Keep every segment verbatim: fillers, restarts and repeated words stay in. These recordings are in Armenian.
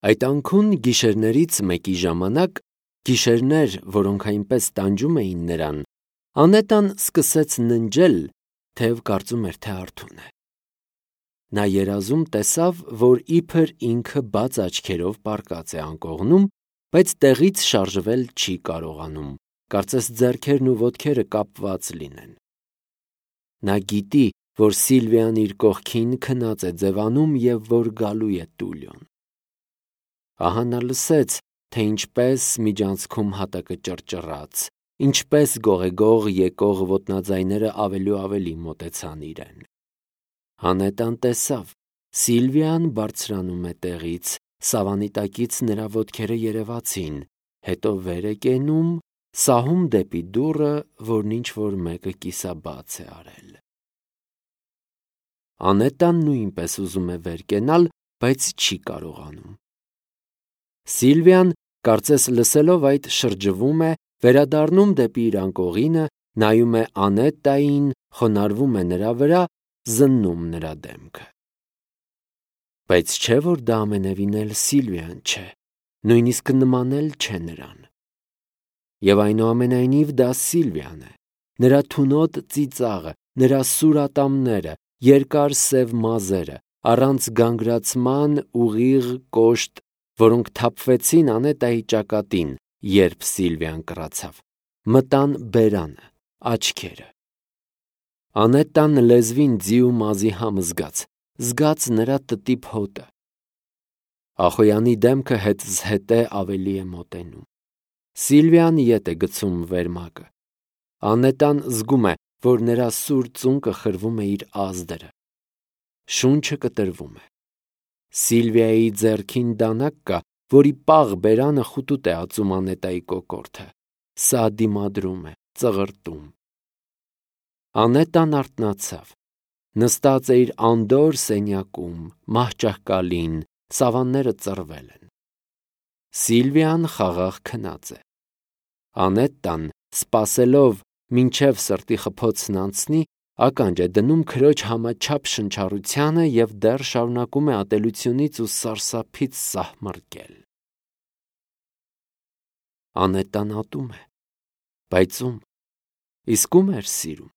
Այդ անքուն գիշերներից մեկի ժամանակ, գիշերներ, որոնք այնպես տանջում էին նրան, Անետան սկսեց ննջել, թեև կարծում էր, թե արթուն է։ Նա երազում տեսավ, որ իբր ինքը բաց աչքերով պառկած է անկողնում, բայց տեղից շարժվել չի կարողանում, կարծես ձեռքերն ու ոտքերը կապված լինեն։ Նա գիտի, որ Սիլվիան իր կողքին քնած է ձևանում և որ գալու է Տուլիոն։ Ահա նա լսեց, թե ինչպես միջանցքում հատակը ճռճռաց, ինչպես գողեգող եկող ոտնաձայները ավելի ու ավելի մոտեցան իրեն։ Անետան տեսավ, Սիլվիան բարձրանում է տեղից, սավանի տակից նրա ոտքերը երևացին, հետո վեր է կենում, սահում դեպի դուռը, որն ինչ-որ մեկը կիսաբաց է արել։ Անետան նույնպես ուզում է վեր կենալ, բայց չի կարողանում։ Սիլվիան, կարծես լսելով այդ, շրջվում է, վերադառնում դեպի իր անկողինը, նայում է Անետային, խոնարհվում է նրա վրա, զննում նրա դեմքը։ Բայց չէ՞ որ դա ամենևին էլ Սիլվիան չէ, նույնիսկ նման էլ չէ նրան։ Եվ այնուամենայնիվ դա Սիլվիան է, նրա թունոտ ծիծաղը, նրա սուր ատամները, երկար սև մազերը, առանց գանգրացման ուղիղ կոշտ, որոնք թափվեցին Անետայի ճակատին, երբ Սիլվիան կռացավ, մտան բերանը, աչքերը։ Անետան լեզվին ձի ու մազի համ զգաց, զգաց նրա տտիպ հոտը։ Ախոյանի դեմքը հետզհետե ավելի է մոտենում։ Սիլվիան ետ է գցում վերմակը։ Անետան զգում է, որ նրա սուր ծունկը խրվում է իր ազդրը։ Շունչը կտրվում է։ Սիլվիայի ձեռքին դանակ կա, որի պաղ բերանը խուտուտ է ածում Անետայի կոկորդը։ Սա դիմադրում է, ծղրտում։ Անետան արթնացավ։ Նստած է իր անդորր սենյակում, մահճահկալին, սավանները ծռվել են։ Սիլվիան խաղաղ քնած է։ Անետան, սպասելով, մինչև սրտի խփոցն անցնի, ականջ է դնում քրոջ համաչափ շնչառությանը և դեռ շարունակում է ատելությունից ու սարսափից սահմռկել։ Անետան ատում է, բայց ում, իսկ ում էր սիրում։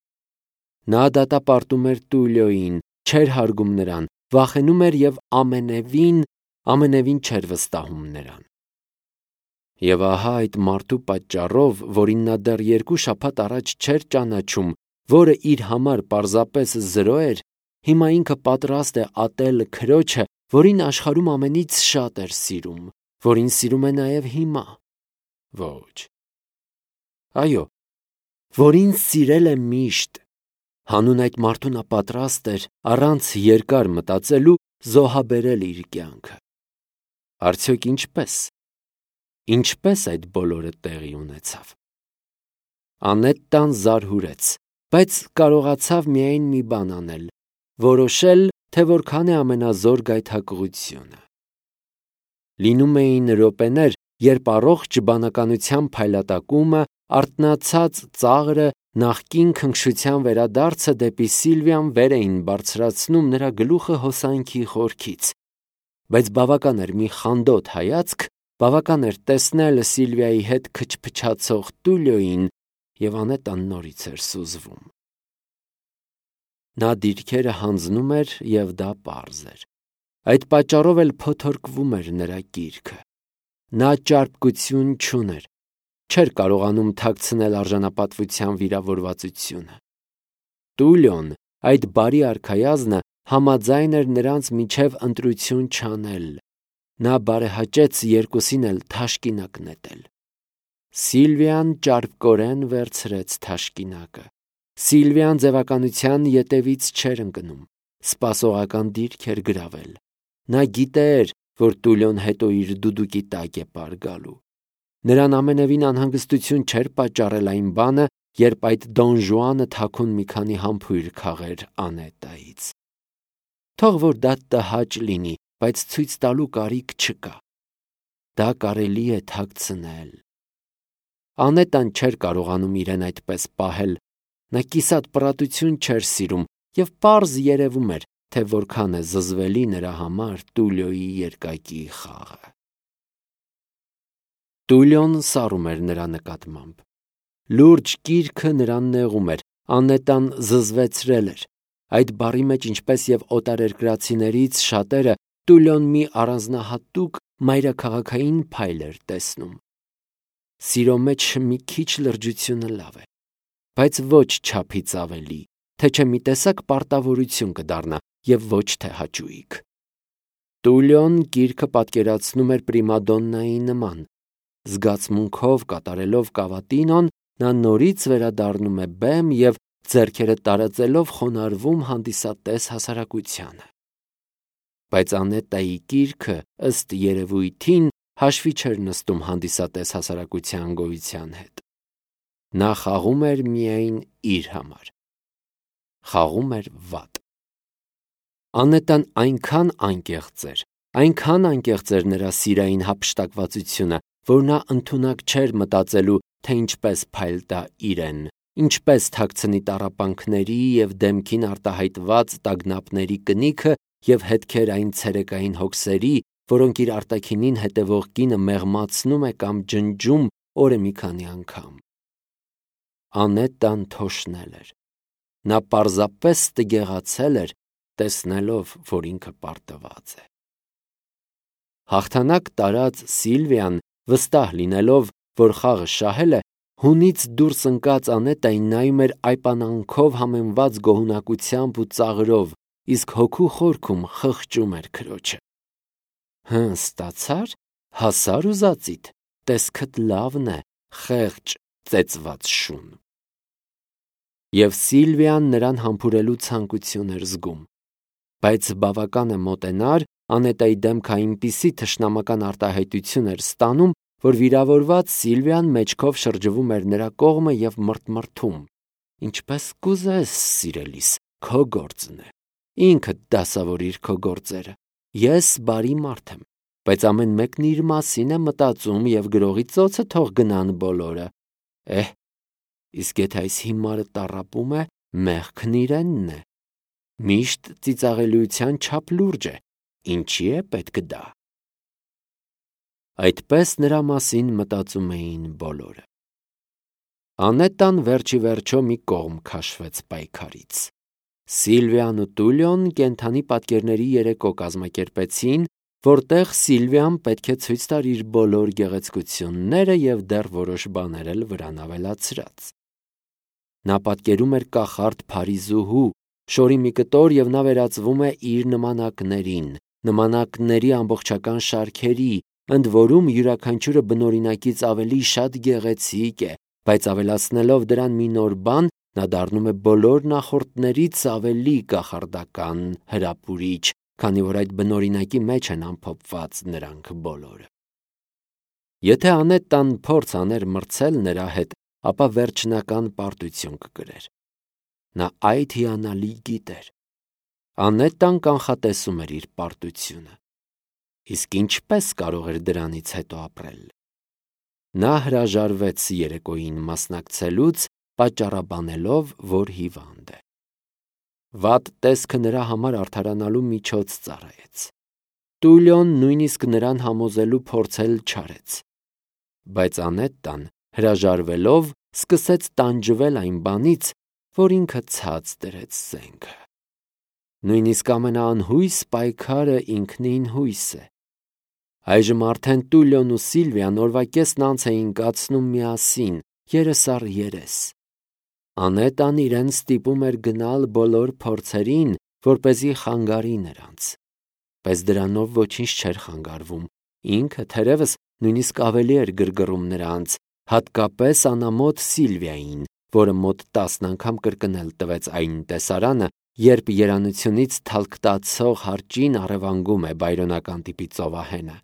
Նա դատապարտում էր Տուլիոյին, չէր հարգում նրան, վախենում էր և ամենևին, ամենևին չէր վստահում նրան։ Եվ ահա այդ մարդու պատճառով, որին նա դեռ երկու շաբաթ առաջ չէր ճանաչում, որը իր համար պարզապես զրո էր, հիմա ինքը պատրաստ է ատել քրոջը, որին աշխարհում ամենից շատ էր սիրում, որին սիրում է նաև հիմա։ Ոչ։ Այո, որին սիրել է միշտ։ Հանուն այդ մարդու նա պատրաստ էր, առանց երկար մտածելու, զոհաբերել իր կյանքը։ Արդյոք ինչպե՞ս։ Ինչպե՞ս այդ բոլորը տեղի ունեցավ։ Անետան զարհուրեց, բայց կարողացավ միայն մի բան անել՝ որոշել, թե որքան է ամենազոր գայթակղությունը։ Լինում էին րոպեներ, երբ առողջ բանականության փայլատակումը, արթնացած ծաղրը, նախկին քնքշության վերադարձը դեպի Սիլվիան վեր էին բարձրացնում նրա գլուխը հոսանքի խորքից, բայց բավական էր մի խանդոտ հայացք, բավական էր տեսնել Սիլվիայի հետ քչփչացող Տուլիոյին, և Անետան նորից էր սուզվում։ Նա դիրքերը հանձնում էր, և դա պարզ էր։ Այդ պատճառով էլ փոթորկվում էր նրա կիրքը։ Նա ճարպկություն չուներ, չէր կարողանում թաքցնել արժանապատվության վիրավորվածությունը։ Տուլիոն, այդ բարի արքայազնը, համաձայն էր նրանց միջև ընտրություն չանել։ Նա բարեհաճեց երկուսին էլ թաշկինակ նետել։ Սիլվիան ճարպկորեն վերցրեց թաշկինակը։ Սիլվիան ձևականության ետևից չէր ընկնում, սպասողական դիրք էր գրավել։ Նա գիտեր, որ Տուլիոն հետո իր դուդուկի տակ է պար գալու։ Նրան ամենևին անհանգստություն չէր պատճառել այն բանը, երբ այդ Դոն Ժուանը թաքուն մի քանի համբույր քաղեր Անետայից։ Թող որ դա տհաճ լինի, բայց ցույց տալու կարիք չկա։ Դա կարելի է թաքցնել։ Անետան չէր կարողանում իրեն այդպես պահել։ Նա կիսատ պռատություն չէր սիրում և պարզ երևում էր, թե որքան է զզվելի նրա համար Տուլիոյի երկակի խաղը։ Տուլիոն սառում էր նրա նկատմամբ։ Լուրջ կիրքը նրան նեղում էր, Անետան զզվեցրել էր։ Այդ բառի մեջ, ինչպես եւ օտարերկրացիներից շատերը, Տուլիոն մի առանձնահատուկ մայրաքաղաքային փայլ էր տեսնում։ Սիրո մեջ մի քիչ լրջությունը լավ է, բայց ոչ չափից ավելի, թե չէ մի տեսակ պարտավորություն կդառնա եւ ոչ թե հաճույք։ Տուլիոն գիրքը պատկերացնում էր պրիմադոննայի նման։ Զգացմունքով կատարելով կավատինոն, նա նորից վերադառնում է բեմ եւ ձեռքերը տարածելով խոնարհվում հանդիսատես հասարակությանը։ Բայց Անետայի գիրքը, ըստ երևույթին, հաշվի չէր նստում հանդիսատես հասարակության գոյության հետ։ Նա խաղում էր միայն իր համար։ Խաղում էր վատ։ Անետան այնքան անկեղծ էր, այնքան անկեղծ էր նրա սիրային հափշտակվածությունը, որ նա ընդունակ չէր մտածելու, թե ինչպես փայլ տա իրեն, ինչպես թաքցնի տառապանքների և դեմքին արտահայտված տագնապների կնիքը և հետքեր այն ցերեկային հոգսերի, որոնք իր արտաքինին հետևող կինը մեղմացնում է կամ ջնջում օրը մի քանի անգամ։ Անետան թոշնել էր։ Նա պարզապես տգեղացել էր, տեսնելով, որ ինքը պարտված է։ Հաղթանակ տարած Սիլվիան, վստահ լինելով, որ խաղը շահել է, հունից դուրս ընկած Անետային նայում էր այպանանքով համեմված գոհունակությամբ ու ծաղրով, իսկ հոգու խորքում խղճում էր քրոջը։ Հը, ստացա՞ր, հասա՞ր ուզածիդ, տեսքդ լավն է, խեղճ, ծեծված շուն։ Եվ Սիլվիան նրան համբուրելու ցանկություն էր զգում, բայց բավական է մոտենար, Անետայի դեմքը այնպիսի թշնամական արտահայտություն էր ստանում, որ վիրավորված Սիլվիան մեջքով շրջվում էր նրա կողմը և մռթմռթում։ Ինչպես կուզես, սիրելիս, քո գործն է։ Ինքդ դասավորիր քո գործերը։ Ես բարի մարդ եմ, բայց ամեն մեկն իր մասին է մտածում և գրողի ծոցը թող գնան բոլորը։ Էհ, իսկ եթե այս հիմարը տառապում է, մեղքն իրենն է։ Միշտ ծիծաղելիության չափ լուրջ է, ինչի է պետք դա։ Այդպես նրա մասին մտածում էին բոլորը։ Անետան վերջի վերջո մի կողմ քաշվեց պայքարից։ Սիլվիան ու Տուլիոն կենդանի պատկերների երեկո կազմակերպեցին, որտեղ Սիլվիան պետք է ցույց տար իր բոլոր գեղեցկությունները և դեռ որոշ բաներ էլ վրան ավելացրած։ Նա պատկերում էր կախարդ Փարիզուհու, շորի մի կտոր և նա վերածվում է իր նմանակներին, նմանակների ամբողջական շարքերի, ընդ որում յուրաքանչյուրը բնօրինակից ավելի շատ գեղեցիկ է, բայց ավելացնելով դրան մի նոր բան, նա դառնում է բոլոր նախորդներից ավելի կախարդական, հրապուրիչ, քանի որ այդ բնօրինակի մեջ են ամփոփված նրանք բոլորը։ Եթե Անետան փորձ աներ մրցել նրա հետ, ապա վերջնական պարտություն կկրեր։ Նա այդ հիանալի գիտեր։ Անետան կանխատեսում էր իր պարտությունը։ Իսկ ինչպես կարող էր դրանից հետո ապրել։ Նա հրաժարվեց երեկոյին մասնակցելուց, պատճառաբանելով, որ հիվանդ է։ Վատ տեսքը նրա համար արդարանալու միջոց ծառայեց։ Տուլիոն նույնիսկ նրան համոզելու փորձել չարեց։ Բայց Անետան, հրաժարվելով, սկսեց տանջվել այն բանից, որ ինքը ցած դրեց զենքը։ Նույնիսկ ամենաանհույս պայքարը ինքնին հույս է։ Այժմ արդեն Տուլիոն ու Սիլվիան օրվա կեսն անց էին կացնում միասին, երես առ երես։ Անետան իրեն ստիպում էր գնալ բոլոր փորձերին, որպեսզի խանգարի նրանց։ Բայց դրանով ոչինչ չէր խանգարվում։ Ինքը թերևս նույնիսկ ավելի էր գրգռում նրանց, հատկապես անամոթ Սիլվիային, որը մոտ տասն անգամ կրկնել տվեց այն տեսարանը, երբ երանությունից թալքտացող հարճին առևանգում է բայրոնական տիպի ծովահենը։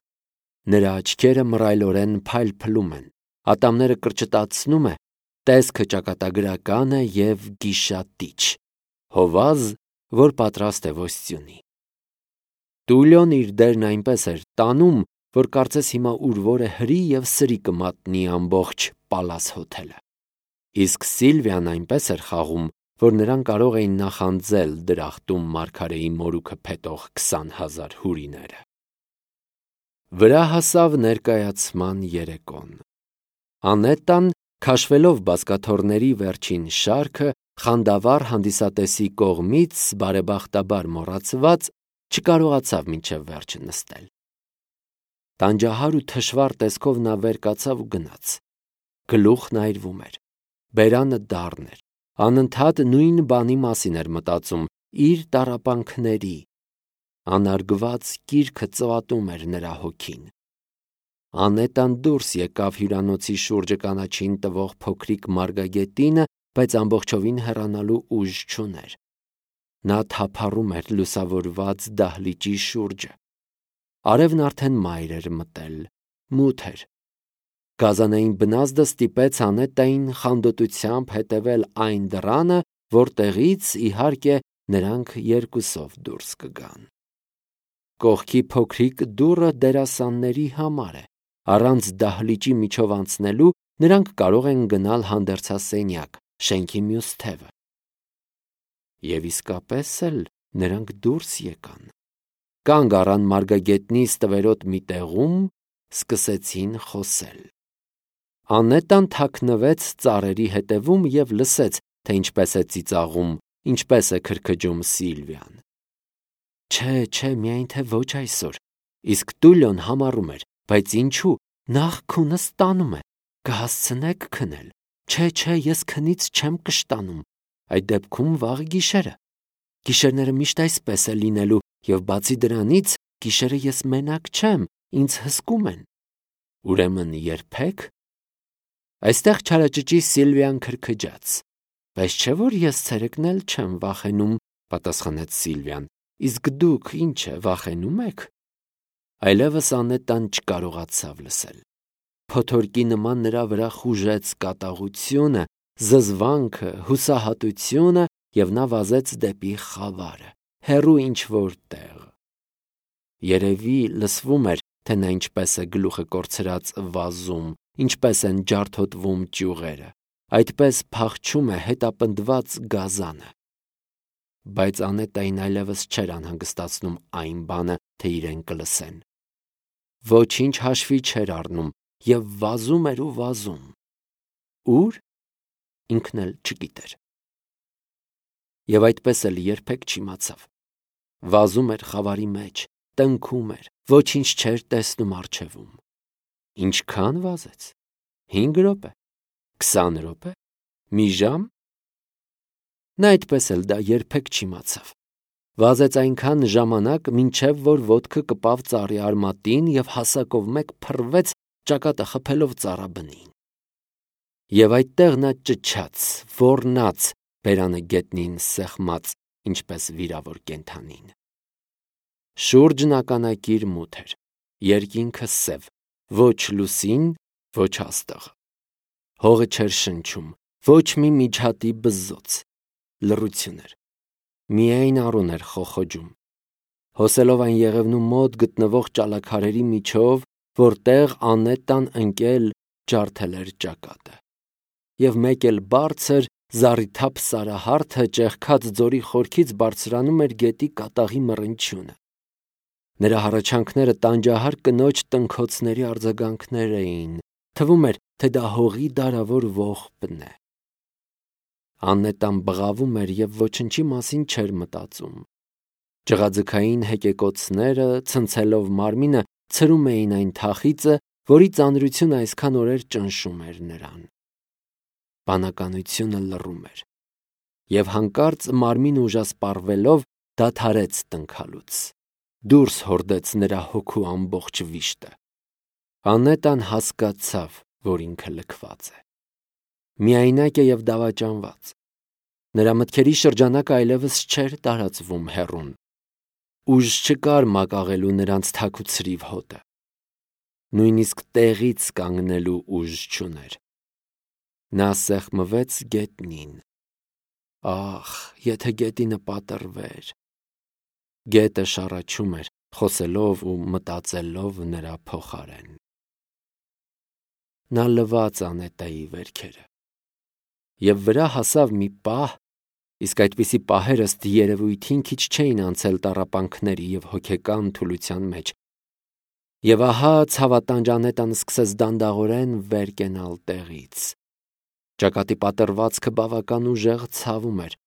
Նրա աչքերը մռայլորեն փայլփլում են, ատամները կրճտացնում է, տեսքը ճակատագրական է և գիշատիչ, հովազ, որ պատրաստ է ոսցյունի։ Տուլիոն իր դերն այնպես էր տանում, որ կարծես հիմա ուր-որ է հրի և սրի կմատնի ամբողջ Պալաս հոթելը։ Իսկ Սիլվիան այնպես էր խաղում, որ նրան կարող էին նախանձել դրախտում մարգարեի մորուքը փետող քսան հազար հուրիները։ Վրա հասավ ներկայացման երեկոն։ Անետան, քաշվելով բազկաթոռների վերջին շարքը, խանդավառ հանդիսատեսի կողմից բարեբախտաբար մոռացված, չկարողացավ մինչև վերջը նստել։ Տանջահար ու թշվառ տեսքով նա վեր կացավ ու գնաց։ Գլուխն այրվում էր, բերանը դառն էր, անընդհատ նույն բանի մասին էր մտածում, իր տառապանքների։ Անարգված կիրքը ծվատում էր նրա հոգին։ Անետան դուրս եկավ հյուրանոցի շուրջը կանաչին տվող փոքրիկ մարգագետինը, բայց ամբողջովին հեռանալու ուժ չուներ։ Նա թափառում էր լուսավորված դահլիճի շուրջը։ Արևն արդեն մայր էր մտել, մութ էր։ Գազանային բնազդը ստիպեց Անետային խանդոտությամբ հետևել այն դռանը, որտեղից, իհարկե, նրանք երկուսով դուրս կգան։ Կողքի փոքրիկ դուռը դերասանների համար է։ Առանց դահլիճի միջով անցնելու նրանք կարող են գնալ հանդերձասենյակ, շենքի մյուս թևը։ Եվ իսկապես էլ նրանք դուրս եկան։ Կանգ առան մարգագետնի ստվերոտ մի տեղում, սկսեցին խոսել։ Անետան թաքնվեց ծառերի հետևում և լսեց, թե ինչպես է ծիծաղում, ինչպես է քրքջում Սիլվիան։ Չէ, չէ, միայն թե ոչ այսօր։ Իսկ Տուլիոն համառում էր, բայց ինչու, նախ քունս տանում է, կհասցնեք քնել։ Չէ, չէ, ես քնից չեմ կշտանում, այդ դեպքում վաղ գիշերը։ Գիշերները միշտ այսպես է լինելու, և բացի դրանից, գիշերը ես մենակ չեմ, ինձ հսկում են։ Ուրեմն երբեք։ Այստեղ չարաճճի Սիլվիան քրքջաց։ Բայց չէ՞ որ ես ցերեկն էլ չեմ վախենում, պատասխանեց Սիլվիան։ Իսկ դուք ինչ է, վախենում եք։ Այլևս Անետան չկարողացավ լսել։ Փոթորկի նման նրա վրա խուժեց կատաղությունը, զզվանքը, հուսահատությունը, և նա վազեց դեպի խավարը, հեռու ինչ-որ տեղ։ Երևի լսվում էր, թե նա ինչպես է գլուխը կորցրած վազում, ինչպես են ջարդոտվում ճյուղերը, այդպես փախչում է հետապնդված գազանը։ Բայց Անետային այլևս չէր անհանգստացնում այն բանը, թե իրեն կլսեն։ Ոչինչ հաշվի չէր առնում և վազում էր ու վազում։ Ո՞ւր։ Ինքն էլ չգիտեր։ Եվ այդպես էլ երբեք չիմացավ։ Վազում էր խավարի մեջ, տնքում էր, ոչինչ չէր տեսնում առջևում։ Ինչքան վազեց։ Հինգ րոպե, քսան րոպե, մի ժամ։ Նա այդպես էլ դա երբեք չիմացավ։ Վազեց այնքան ժամանակ, մինչև որ ոտքը կպավ ծառի արմատին և հասակով մեկ փռվեց, ճակատը խփելով ծառաբնին։ Եվ այդտեղ նա ճչաց, ոռնաց, բերանը գետնին սեղմած, ինչպես վիրավոր կենդանին։ Շուրջն ականակիր մութ էր, երկինքը սև, ոչ լուսին, ոչ աստղ։ Հողը չէր շնչում, ոչ մի միջատի բզզոց։ Լռություն էր։ Միայն առուն էր խոխոջում։ Հոսելով այն եղևնու մոտ գտնվող ճալաքարերի միջով, որտեղ Անետան ընկել ջարդել էր ճակատը։ Եվ մեկ էլ բարձր, զառիթափ սարահարթը ճեղքած ձորի խորքից բարձրանում էր գետի կատաղի մռնչյունը։ Նրա հառաչանքները տանջահար կնոջ տնքոցների արձագանքներ էին, թվում էր, թե դա հողի դարավոր ողբն է։ Անետան բղավում էր և ոչնչի մասին չէր մտածում։ Ջղաձգային հեկեկոցները, ցնցելով մարմինը, ցրում էին այն թախիծը, որի ծանրությունը այսքան օրեր ճնշում էր նրան։ Բանականությունը լռում էր։ Եվ հանկարծ մարմինը ուժասպառվելով դադարեց տնքալուց։ Դուրս հորդեց նրա հոգու ամբողջ վիշտը։ Անետան հասկացավ, որ ինքը լքված է։ Միայնակ է և դավաճանված։ Նրա մտքերի շրջանակը այլևս չէր տարածվում հեռուն։ Ուժ չկար մակաղելու նրանց թաք ու ցրիվ հոտը։ Նույնիսկ տեղից կանգնելու ուժ չուներ։ Նա սեղմվեց գետնին։ Ախ, եթե գետինը պատռվեր։ Գետը շառաչում էր, խոսելով ու մտածելով նրա փոխարեն։ Նա լվաց Անետայի վերքերը։ Եվ վրա հասավ մի պահ, իսկ այդպիսի պահեր ըստ երևույթին քիչ չէին անցել տառապանքների և հոգեկան թուլության մեջ, Եվ ահա ցավատանջ Անետան սկսեց դանդաղորեն վեր կենալ տեղից։ Ճակատի պատրվածքը բավական ուժեղ ցավում էր,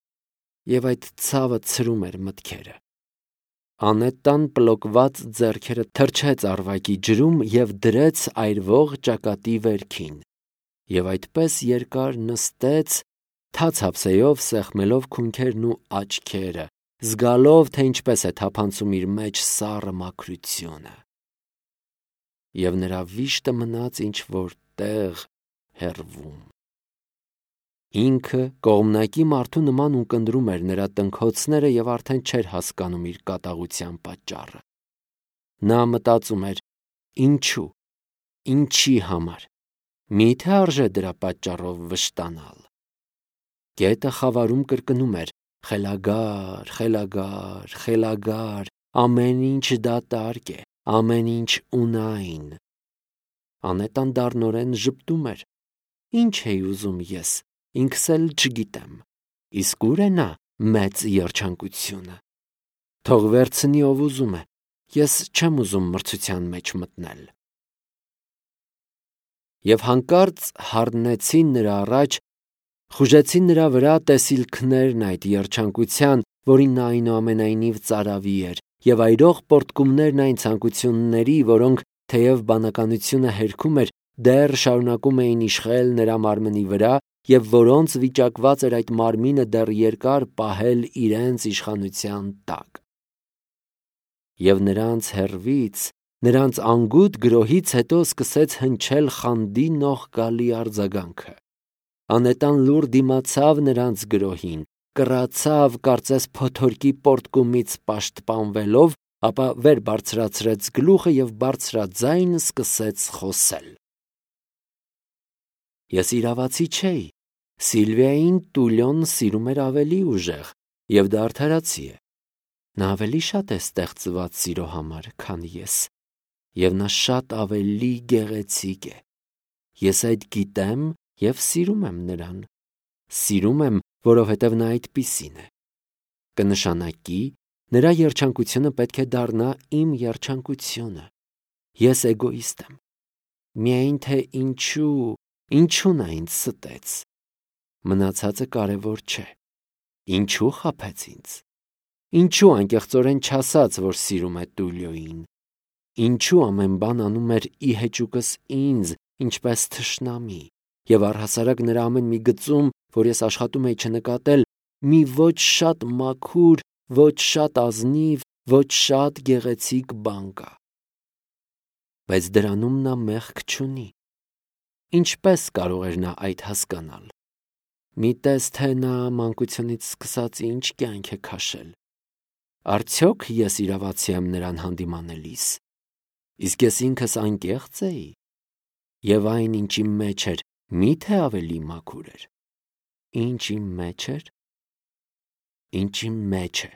եւ այդ ցավը ցրում էր մտքերը։ Անետան պլոկված ձեռքերը թրջեց արվակի ջրում եւ դրեց այրվող ճակատի վերքին, եւ այդպես երկար նստեց, թաց հապսեյով սեղմելով քունքերն ու աչքերը, զգալով, թե ինչպես է թափանցում իր մեջ սառը մաքրությունը։ Եվ նրա վիշտը մնաց ինչ-որ տեղ հեռվում։ Ինքը կողմնակի մարդու նման ունկնդրում էր նրա տնքոցները եւ արդեն չէր հասկանում իր կատաղության պատճառը։ Նա մտածում էր. ինչու, ինչի համար, միթե արժե դրա պատճառով վշտանալ։ Գետը խավարում կրկնում էր. խելագար, խելագար, խելագար, ամեն ինչ դատարկ է, ամեն ինչ ունայն։ Անետան դառնորեն ժպտում էր. ինչ էի ուզում ես, ինքս էլ չգիտեմ, իսկ ուր է նա մեծ երջանկությունը։ Թող վերցնի ով ուզում է, ես չեմ ուզում մրցության մեջ մտնել։ Եվ հանկարծ հառնեցին նրա առաջ, խուժեցին նրա վրա տեսիլքներն այդ երջանկության, որին նա այնուամենայնիվ ծարավի էր, եւ այրող պոռթկումներն այն ցանկությունների, որոնք, թեև բանականությունը հերքում էր, դեռ շարունակում էին իշխել նրա մարմնի վրա, եւ որոնց վիճակված էր այդ մարմինը դեռ երկար պահել իրենց իշխանության տակ։ Եվ նրանց հեռվից, նրանց անգութ գրոհից հետո սկսեց հնչել խանդի նողկալի արձագանքը։ Անետան լուռ դիմացավ նրանց գրոհին, կռացավ, կարծես փոթորկի պոռթկումից պաշտպանվելով, ապա վեր բարձրացրեց գլուխը եւ բարձրաձայն սկսեց խոսել։ Ես իրավացի չէի։ Սիլվիային Տուլյոն սիրում էր ավելի ուժեղ եւ դա արդարացի է։ Նա ավելի շատ է ստեղծված սիրո համար, քան ես, եւ նա շատ ավելի գեղեցիկ է։ Ես այդ գիտեմ եւ սիրում եմ նրան։ Սիրում եմ, որովհետեւ նա այդպիսին է։ Կնշանակի, նրա երջանկությունը պետք է դառնա իմ երջանկությունը։ Ես էգոիստ եմ։ Միայն թե ինչու, ինչու նա ինձ ստեց։ Մնացածը կարևոր չէ։ Ինչու խաբեց ինձ։ Ինչու անկեղծորեն չասաց, որ սիրում է Տուլիոյին։ Ինչու ամեն բան անում էր ի հեճուկս ինձ, ինչպես թշնամի, եւ առհասարակ նրա ամեն մի գծում, որ ես աշխատում էի չնկատել, մի ոչ շատ մաքուր, ոչ շատ ազնիվ, ոչ շատ գեղեցիկ բան կա։ Բայց դրանում նա մեղք չունի։ Ինչպես կարող էր նա այդ հասկանալ։ Մի տես, թե նա մանկությունից սկսած ինչ կյանք է քաշել։ Արդյոք ես իրավացի եմ նրան հանդիմանելիս։ Իսկ ես ինքս անկեղծ էի։ Եվ այն, ինչ իմ մեջ էր, միթե ավելի մաքուր էր։ Ինչ իմ մեջ էր։ Ինչ իմ մեջ է,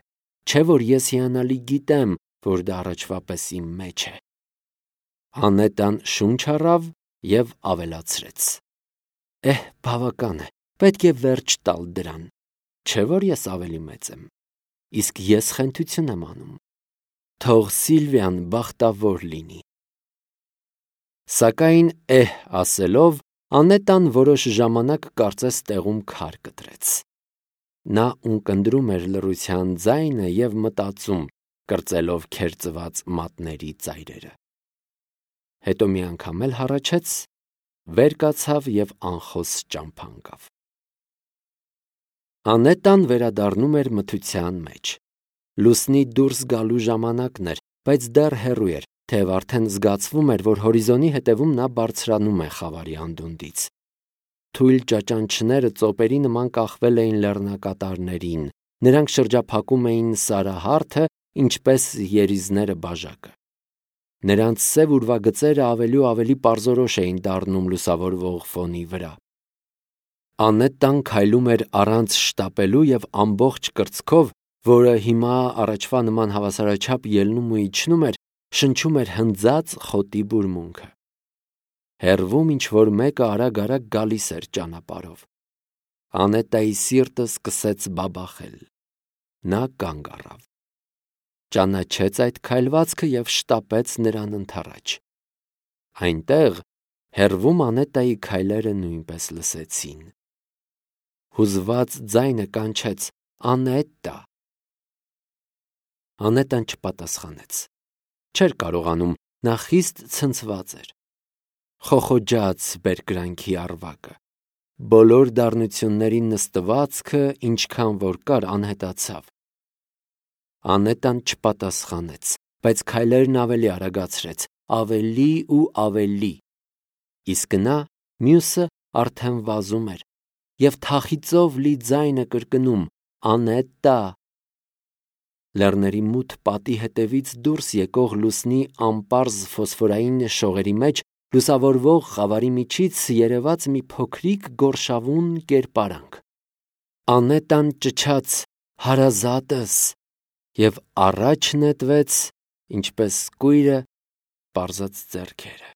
չէ՞ որ ես հիանալի գիտեմ, որ դա առաջվա պես իմ մեջ է։ Անետան շունչ առավ եւ ավելացրեց. Էհ, բավական է, պետք է վերջ տալ դրան, չէ՞ որ ես ավելի մեծ եմ, իսկ ես խենթություն եմ անում։ Թող Սիլվիան բախտավոր լինի։ Սակայն էհ ասելով, Անետան որոշ ժամանակ կարծես տեղում քար կտրեց։ Նա ունկնդրում էր լռության ձայնը եւ մտածում, կրծելով քերծված մատների ծայրերը։ Հետո մի անգամ էլ հառաչեց, վեր կացավ եւ անխոս ճամփա ընկավ։ Անետան վերադառնում էր մթության մեջ։ Լուսնի դուրս գալու ժամանակն էր, բայց դեռ հեռու էր, թեև արդեն զգացվում էր, որ հորիզոնի հետևում նա բարձրանում է խավարի անդունդից։ Թույլ ճաճանչները ծոպերի նման կախվել էին լեռնակատարներին, նրանք շրջափակում էին սարահարթը, ինչպես երիզները բաժակը։ Նրանց սև ուրվագծերը ավելի ու ավելի պարզորոշ էին դառնում լուսավորվող ֆոնի վրա։ Անետան քայլում էր առանց շտապելու եւ ամբողջ կրծքով, որը հիմա առաջվա նման հավասարաչափ ելնում ու իջնում էր, շնչում էր հնձած խոտի բուրմունքը։ Հեռվում ինչ-որ մեկը արագ-արագ գալիս էր ճանապարհով։ Անետայի սիրտը սկսեց բաբախել։ Նա կանգ առավ։ ճանաչեց այդ քայլվածքը և շտապեց նրան ընդառաջ։ Այնտեղ հեռվում Անետայի քայլերը նույնպես լսեցին։ Հուզված ձայնը կանչեց. «Անետա»։ Անետան չպատասխանեց։ Չէր կարողանում, նա խիստ ցնցված էր։ Խոխոջաց բերկրանքի առվակը։ Բոլոր դառնությունների նստվածքը, ինչքան որ կար, անհետացավ։ Անետան չպատասխանեց, բայց քայլերն ավելի արագացրեց, ավելի ու ավելի։ Իսկ նա, մյուսը, արդեն վազում էր և թախիծով լի ձայնը կրկնում. «Անետա»։ Լեռների մութ պատի հետևից դուրս եկող լուսնի անպարզ ֆոսֆորային շողերի մեջ լուսավորվող խավարի միջից երևաց մի փոքրիկ գորշավուն կերպարանք։ Անետան ճչաց. «Հարազատս» և առաջ նետվեց, ինչպես կույրը պարզած ձեռքերը։